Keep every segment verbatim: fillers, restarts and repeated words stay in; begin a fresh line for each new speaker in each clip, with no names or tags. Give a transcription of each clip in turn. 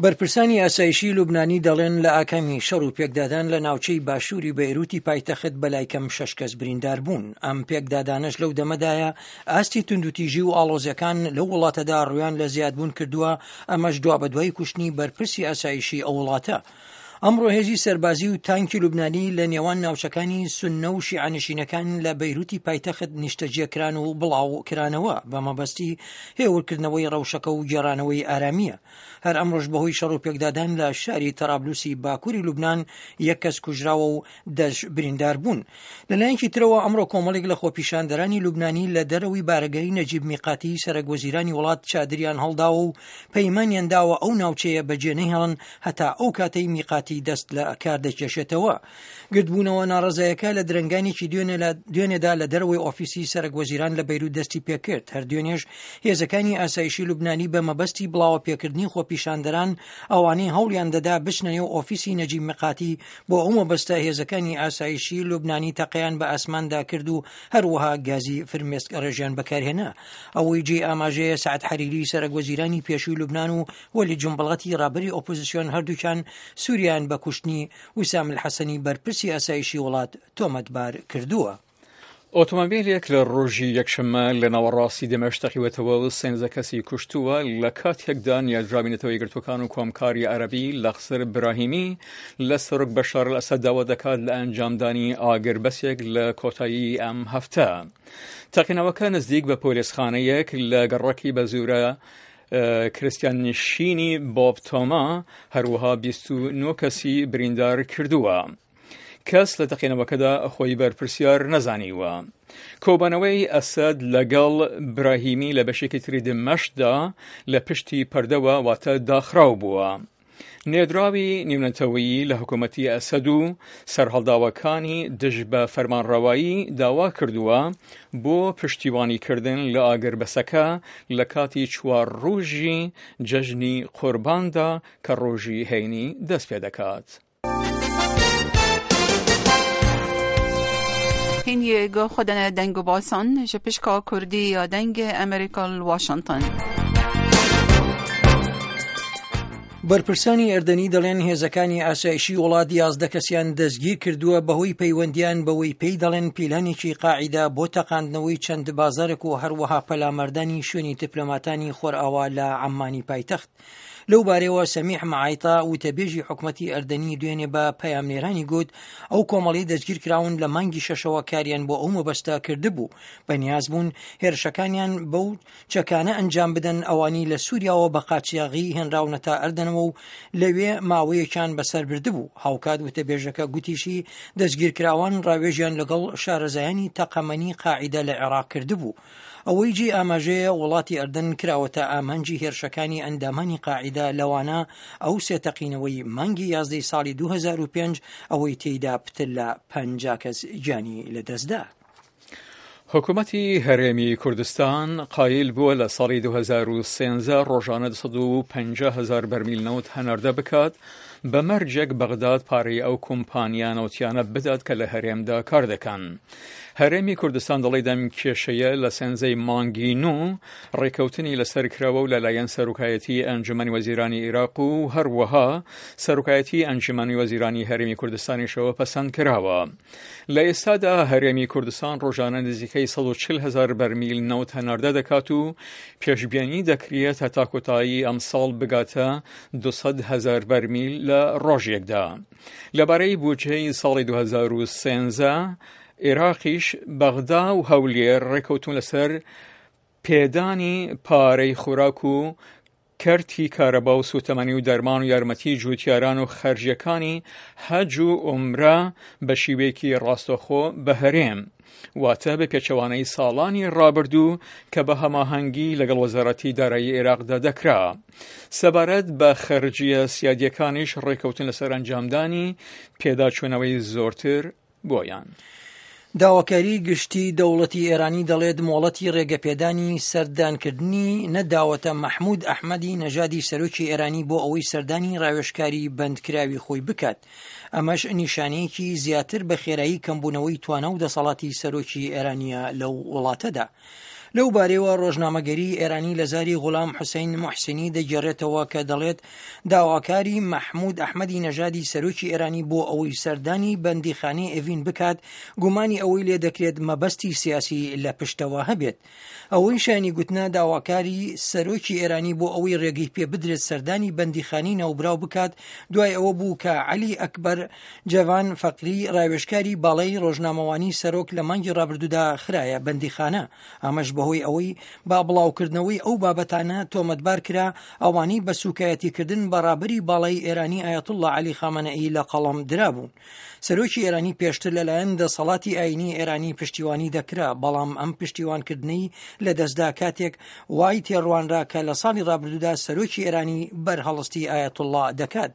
بەرپرسانی ئاسایشی لوبنانی دەڵێن لە ئاکامی شەڕ و پێکدادان لە ناوچەی باشووری بەیروتی پایتەخت بەلای کەم شەش کەس بریندار بوون. ئەم پێکدادانەش لەو دەمەدایە ئاستی توندوتیژی و ئاڵۆزیەکان لەو وڵاتەدا ڕویان لە زیادبوون کردووە، ئەمەش دوابەدوای کوشتنی بەرپرسی ئاسایشی ئەو وڵاتە. ئەمڕۆ هێزی سەربازی و تانکی لوبنانی لە نێوان ناوچەکانی سوننە و شیعەنشینەکان لە بەیروتی پایتەخت نیشتەجێ کران و بڵاو کرانەوە بە مەبەستی هێورکردنەوەی ڕەوشەکە و گێڕانەوەی ئارامیە. هەر ئەمڕۆش بەهۆی شەڕ و پێکدادان لە شاری تەرابلوسی باکووری لوبنان یەک کەس کوژراوە و دەش بریندار بوون. لەلایەکی ترەوە ئەمڕۆ کۆمەڵێک لە خۆپیشاندەرانی لوبنانی لە دەرەوەی بارەگای نەجیب میقاتی سەرەک وەزیرانی وڵات چادریان هەڵداوە و پەیمانیان داوە ئەو ناوچەیە بەجێ نەهێڵن هەتا ئەو کاتەی میقاتی دەست لە کار دەکێشێتەوە. گردبوونەوە ناڕەزایەکە لە درەنگانێکی دوێنێدا لە دەرەوەی ئۆفیسی سەرەک وەزیران لە بەیروت دەستی پێکرد. هەر دوێنێش هێزەکانی ئاسایشی لوبنانی بە مەبەستی بڵاوە پێکردنی خۆپیشاندەران ئەوانەی هەوڵیان دەدا بچنە نێو ئۆفیسی نەجیب میقاتی بۆ ئەو مەبەستە هێزەکانی ئاسایشی لوبنانی تەقەیان بە ئاسماندا کرد و هەروەها گازی فرمێسک ڕێژیان بەکارهێنا. ئەوەی جێی ئاماژەیە سەعد حەریری سەرەک وەزیرانی پێشووی لوبنان و وەلی جومبڵەتی ڕابەری ئۆپۆزیسیۆن هەردووکیان سووریان بە کوشتنی ویسام الحەسەنی بەرپرسی ئاسایشی وڵات تۆمەتبار کردووە.
ئۆتۆمۆبیلێک لە ڕۆژی یەکشەممە لە ناوەڕاستی دەمەشق تەقیوەتەوە و سێنزە کەسی کوشتووە لە کاتێکدا نیازراوی نەتەوە یەکگرتووەکان و کۆمکاری عەرەبی لەخسر براهیمی لە سەرۆک بەشار ئەسەد داوا دەکات لە ئەنجامدانی ئاگربەسێک لە کۆتایی ئەم هەفتە. تەقینەوەکە نزیک بە پۆلیسخانەیەک لە گەڕەکی بەزوورە کریستیان نشینی بۆب تۆما هەروەها بیست و نۆ کەسی بریندار کردووە. کەس لە تەقینەوەکەدا خۆی بەرپرسیار نەزانیوە. کۆبانەوەی ئەسەد لەگەڵ براهیمی لە بەشێکی تری دمەشقدا لە پشتی پەردەوە واتە داخراو بووە. نێدراوی نێونەتەوەیی لە حکوومەتی ئەسەد و سەرهەڵداوەکانی دژ بە فەرمانڕەوایی داوا کردووە بۆ پشتیوانیکردن لە ئاگربەسەکە لە کاتی چوار ڕۆژی جەژنی قورباندا کە ڕۆژی هەینی دەست پێ دەکات.
هین گو خودن دنگ و باسان جپشکا کردی یا دنگ ئەمریکا واشنگتن.
بەرپرسانی ئەردەنی دەڵێن هێزەکانی ئاسایشی وڵات یازدە کەسیان دەستگیر کردووە بەهۆی پەیوەندیان بەوەی پێی دەڵێن پیلانێکی قاعیدە بۆ تەقاندنەوەی چەند بازارێک و هەروەها پەلاماردانی شوێنی دیپلۆماتانی خۆرئاوا لە عەممانی پایتەخت. لەو بارەوە سەمیح معایطا وتەبێژی حکومەتی ئەردەنی دوێنێ بە پەیامنێرانی گوت ئەو کۆمەڵی دەستگیر کراون لە مانگی شەشەوە کاریان بۆ ئەو مەبەستە کردبوو، بەنیاز بوون هێرشەکانیان بەو چەکانە ئەنجام بدەن ئەوانی لە سووریاوە بە قاچاغی هێنراونەتە ئەردەنەوە و لەوێ ماوەیەکیان بەسەر بردبوو. هاوکات وتەبێژەکە گوتیشی دەستگیرکراوان ڕاوێژیان لەگەڵ شارەزایانی تەقەمەنی قاعیدە لە عێراق کردبوو. ئەوەی جێ ئاماژەیە وڵاتی ئەردەن کراوەتە ئامانجی هێرشەکانی ئەندامانی قاعیدە لەوانە ئەو سێ تەقینەوەی مانگی یازدەی ساڵی دوو هەزار و پێنج ئەوەی تێیدا پتر لە پەنجا کەس گیانی لەدەستدا.
حکوومەتی هەرێمی کوردستان قایل بووە لە ساڵی دوو هەزار و سێزدە ڕۆژانە دوو سەد و پەنجا هەزار بەرمیل نەوت هەناردە بکات بە مەرجێک بەغداد پارەی ئەو کۆمپانیا نەوتیانە بدات کە لە هەرێمدا کار دەکەن. هەرێمی کوردستان دەڵێت ئەم کێشەیە لە سێنزەی مانگی نۆ ڕێکەوتنی لەسەر کراوە و لەلایەن سەرۆکایەتی ئەنجومەنی وەزیرانی عێراق و هەروەها سەرۆکایەتی ئەنجومەنی وەزیرانی هەرێمی کوردستانیشەوە پەسەند کراوە. لە ئێستادا هەرێمی کوردستان ڕۆژانە نزیکەی سەد و چل هەزار بەرمیل نەوت هەناردە دەکات و پێشبینی دەکرێت هەتا کۆتایی ئەمساڵ بگاتە دوو سەد هەزار بەرمیل لە ڕۆژێکدا. لەبارەی بودجەی ساڵی دوو هەزار و سێزدە عێراقیش بەغدا و هەولێر ڕێکەوتون لەسەر پێدانی پارەی خۆراک و کەرتی کارەبا و سوتەمەنی و دەرمان و یارمەتی جووتیاران و خەرجیەکانی حەج و عومرە بە شیوەیەکی ڕاستەوخۆ بە هەرێم، واتە بە پێچەوانەی ساڵانی ڕابردوو کە بە هەماهەنگی لەگەڵ وەزارەتی دارایی عێراقدا دەکرا. سەبارەت بە خەرجیە سیادیەکانیش ڕێکەوتن لەسەر ئەنجامدانی پێداچوونەوەی زۆرتر بۆیان.
داواکاری گشتی دەوڵەتی ئێرانی دەڵێت مۆڵەتی ڕێگەپێدانی سەردانکردنی نەداوەتە مەحمود ئەحمەدی نەژادی سەرۆکی ئێرانی بۆ ئەوەی سەردانی ڕاوێژکاری بەندکراوی خۆی بکات. ئەمەش نیشانەیەکی زیاتر بە خێرایی کەمبوونەوەی توانا و دەسەڵاتی سەرۆکی ئێرانیە لەو وڵاتەدا. لەو بارەیەوە ڕۆژنامەگەری ئێرانی لە زاری غوڵام حوسەین موحسینی دەگێڕێتەوە کە دەڵێت داواکاری مەحمود ئەحمەدی نەژادی سەرۆکی ئێرانی بۆ ئەوەی سەردانی بەندیخانەی ئێڤین بکات گومانی ئەوەی لێ دەکرێت مەبەستی سیاسی لە پشتەوە هەبێت. ئەوەی شایانی گوتنە داواکاری سەرۆکی ئێرانی بۆ ئەوەی ڕێگەی پێ بدرێت سەردانی بەندیخانەی ناوبراو بکات دوای ئەوە بوو کە عەلی ئەکبەر جەوان فەقری ڕاوێژکاری باڵای ڕۆژنامەوانی سەرۆک لە مانگی ڕابردوودا خرایە بەندیخانە، ئەمەش بەهۆی ئەوەی با بڵاوکردنەوەی ئەو بابەتانە تۆمەتبار کرا ئەوانەی بە سوکایەتیکردن بە ڕابەری باڵای ئێرانی ئایەتوڵڵا عەلی خامەنەئی لە قەڵەم درابوون. سەرۆکی ئێرانی پێشتر لەلایەن دەسەڵاتی ئاینی ئێرانی پشتیوانی دەکرا، بەڵام ئەم پشتیوانکردنەی لەدەستدا کاتێک وای تێڕوانرا کە لە ساڵی ڕابردوودا سەرۆکی ئێرانی بەرهەڵستی ئایەتوڵڵا دەکات.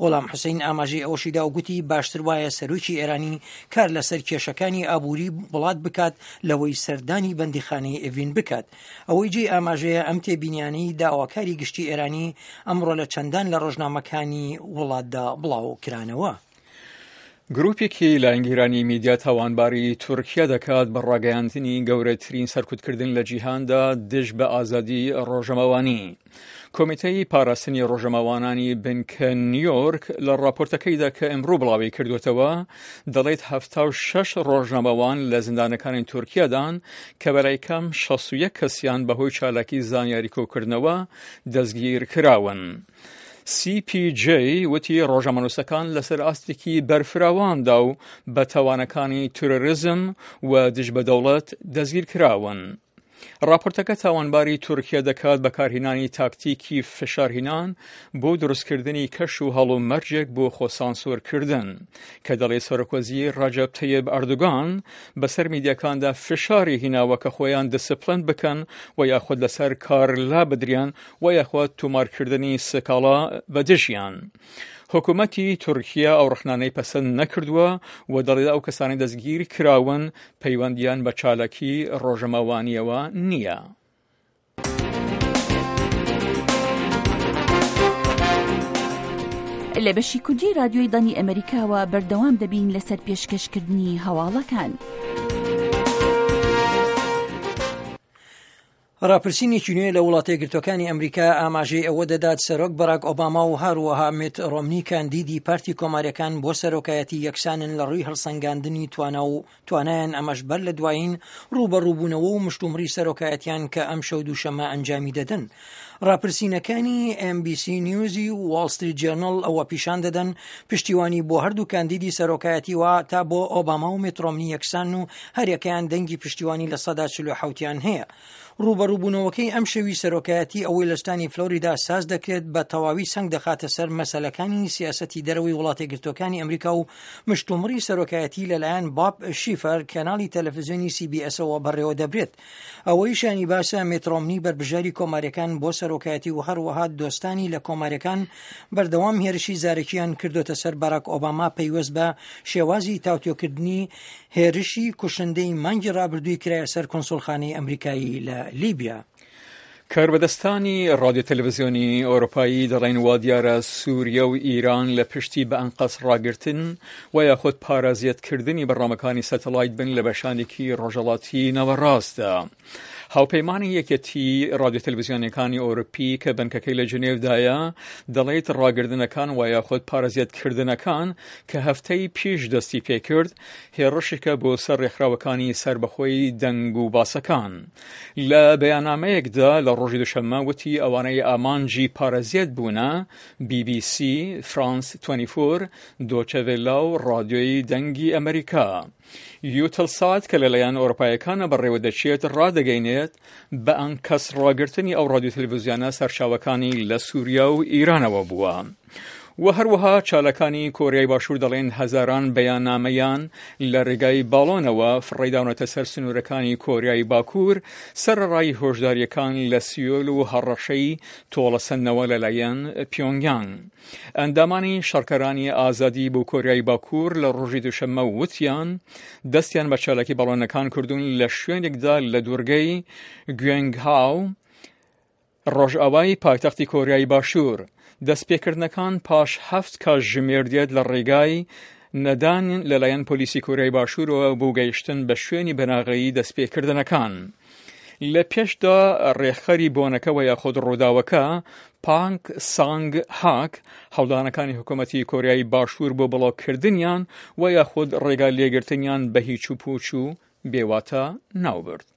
غوڵام حوسەین ئاماژەی ئەوەشیدا و گوتی باشتر وایە سەرۆکی ئێرانی کار لەسەر کێشەکانی ئابووری وڵات بکات لەوەی سەردانی بەندیخانەی ئێڤین بکات. ئەوەی جێی ئاماژەیە ئەم تێبینیانەی داواکاری گشتی ئێرانی ئەمڕۆ لە چەندان لە ڕۆژنامەکانی وڵاتدا بڵاو کرانەوە.
گروپێکی لایەنگیرانی میدیا تاوانباری تورکیا دەکات بە ڕاگەیاندنی گەورەترین سەرکوتکردن لە جیهاندا دژ بە ئازادی ڕۆژەمەوانی. کۆمیتەی پاراستنی ڕۆژەمەوانانی بنکە نیویۆرک لە ڕاپۆرتەکەیدا کە ئەمڕۆ بڵاوی کردوێتەوە دەڵێت هەفتا و شەش ڕۆژنامەوان لە زیندانەکانی تورکیادان کە بەلای کەم شەست و یەک کەسیان بەهۆی چالاکی زانیاری کۆکردنەوە دەستگیر کراون. سی پی جی وتی ڕۆژنامەنووسەکان لەسەر ئاستێکی بەرفراواندا و بە تاوانەکانی تیرۆریزم و دژ بە دەوڵەت دەستگیر کراون. راپۆرتەکە تاوانباری تورکیا دەکات بەکارهێنانی تاکتیکی فشارهێنان بۆ دروستکردنی کەش و هەڵومەرجێک بۆ خۆسانسۆرکردن کە دەڵێ سەرۆکوەزیر ڕەجەب تەیب ئەردۆگان بەسەر میدیاکاندا فشاری هیناوە کە خۆیان دیسپلین بکەن و یاخود لەسەر کار لا بدریان و یاخود تۆمارکردنی سکاڵا بە دژیان. حکوومەتی تورکیا ئەو ڕەخنانەی پەسەند نەکردووە و دەڵێت ئەو کەسانەی دەستگیر کراون پەیوەندیان بە چالاکی ڕۆژەمەوانیەوە نییە.
لە بەشی کوردی رادیۆی دەنگی ئەمریکاوە بەردەوام دەبین لەسەر پێشکەشکردنی هەواڵەکان.
ڕاپرسینێکی نوێ لە وڵاتە یەکگرتووەکانی ئەمریکا ئاماژەی ئەوە دەدات سەرۆک باراک ئۆباما و هەروەها میت ڕۆمنی کاندیدی پارتی کۆماریەکان بۆ سەرۆکایەتی یەکسانن لە ڕووی هەڵسەنگاندنی توانا و توانایان، ئەمەش بەر لە دوایین ڕووبەڕووبوونەوە و مشتومڕی سەرۆکایەتیان کە ئەم شەو دووشەممە ئەنجامی دەدەن. ڕاپرسینەکانی ئێم بی سی نیوزی و واڵ ستریت جێرناڵ ئەوە پیشان دەدەن پشتیوانی بۆ هەردوو کاندیدی سەرۆکایەتی وا تا بۆ ئۆباما و میت ڕۆمنی یەکسان و هەریەکەیان دەنگی پشتیوانی لە سەدا چل و حەوتیان هەیە. ڕووبەڕووبوونەوەکەی ئەم شەوی سەرۆکایەتی ئەوەی لە ستانی فلۆریدا ساز دەکرێت بە تەواوی سەنگ دەخاتە سەر مەسەلەکانی سیاسەتی دەرەوەی وڵاتە یەکگرتووەکانی ئەمریکا و مشتومڕی سەرۆکایەتی لەلایەن باب شیفەر کەناڵی تەلەڤیزیۆنی سی بی ئێسەوە بەڕێوە دەبرێت. ئەوەی شانی باسە میت ڕۆمنی بەربژاری کۆماریەکان بۆ سەرۆکایەتی و هەروەها دۆستانی لە کۆماریەکان بەردەوام هێرشی زارەکیان کردوتە سەر باراک ئۆباما پەیوەست بە شێوازی تاوتوێکردنی هێرشی کوشندەی مانگی ڕابردووی کرایە سەر کونسوڵخانەی ئەمریکایی لە لیبیا.
کاربەدەستانی ڕادیۆ تەلەڤیزیۆنی ئەوروپایی دەڵێن وا دیارە سووریا و ئیران لە پشتی بە ئەنقەست ڕاگرتن و یاخود پارازیەتکردنی بەرنامەکانی سەتەلایت بن لە بەشانێکی ڕۆژهەڵاتی ناوەڕاستدا. هاوپەیمانی یەکێتی ڕادیۆ تەلەڤیزیۆنەکانی ئەوروپی کە بنکەکەی لە ژنێڤدایە دەڵێت ڕاگردنەکان و یاخود پارازیەتکردنەکان کە هەفتەی پیش دەستی پێکرد هێڕشێکە بۆ سەر ڕێکخراوەکانی سەربەخۆی دەنگ و باسەکان. لە بەیاننامەیەکدا لە ڕۆژی دوشەممە وتی ئەوانەی ئامانجی پارازیەت بوونە بی بی سی، فرانس بیست و چوار، دۆچەڤێلا و ڕادیۆی دەنگی ئەمریکا. یوتەلسات کە لەلایەن ئەوروپایەکانە بەڕێوە دەچێت ڕادەگەینێت بە ئەنکەس ڕاگرتنی ئەو ڕادیۆ تەلەڤیزیۆنە سەرچاوەکانی لە سووریا و ئیرانەوە بووە. و هەروەها چالاکانی کۆریای باشوور دەڵێن هەزاران بەیاننامەیان لە ڕێگای باڵۆنەوە فڕێداونەتە سەر سنوورەکانی کۆریای باکوور سەرەڕای هۆشداریەکان لە سیۆل و هەڕەشەی تۆڵەسەندنەوە لەلایەن پیۆنگیانگ. ئەندامانی شەڕکەرانی ئازادی بۆ کۆریای باکوور لە ڕۆژی دوشەممە وتیان دەستیان بە چالاکی باڵۆنەکان کردوون لە شوێنێکدا لە دوورگەی گوێنگهاو ڕۆژئاوای پایتەختی کۆریای باشوور. دەستپێکردنەکان پاش هەفت کاتژمێر دێت لە ڕێگای نەدان لەلایەن پۆلیسی کۆریای باشوورەوە بۆ گەیشتن بە شوێنی بناغەیی دەستپێکردنەکان. لە پێشدا ڕێکخەری بۆنەکە وە یاخود ڕووداوەکە پانک سانگ هاک هەوڵدانەکانی حکوومەتی کۆریای باشوور بۆ بڵۆککردنیان و یاخود ڕێگا لێگرتنیان بە هیچ و پوچ و بێواتە ناوبرد.